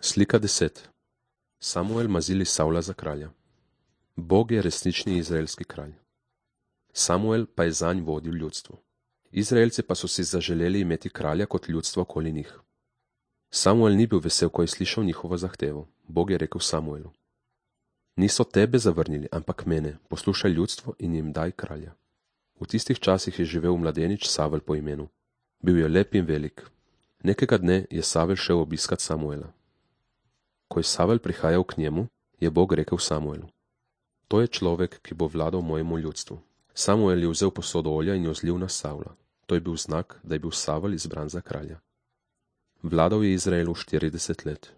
Slika 10. Samuel mazili Savla za kralja. Bog je resnični izraelski kralj. Samuel pa je zanj vodil ljudstvo. Izraelci pa so si zaželeli imeti kralja kot ljudstvo okoli njih. Samuel ni bil vesel, ko je slišal njihovo zahtevo. Bog je rekel Samuelu: Niso tebe zavrnili, ampak mene, poslušaj ljudstvo in jim daj kralja. V tistih časih je živel mladenič Savel po imenu. Bil je lep in velik. Nekega dne je Savel šel obiskat Samuela. Ko je Savel prihajal k njemu, je Bog rekel Samuelu: To je človek, ki bo vladal mojemu ljudstvu. Samuel je vzel posodo olja in jo zlil na Savla. To je bil znak, da je bil Savel izbran za kralja. Vladal je Izraelu 40 let.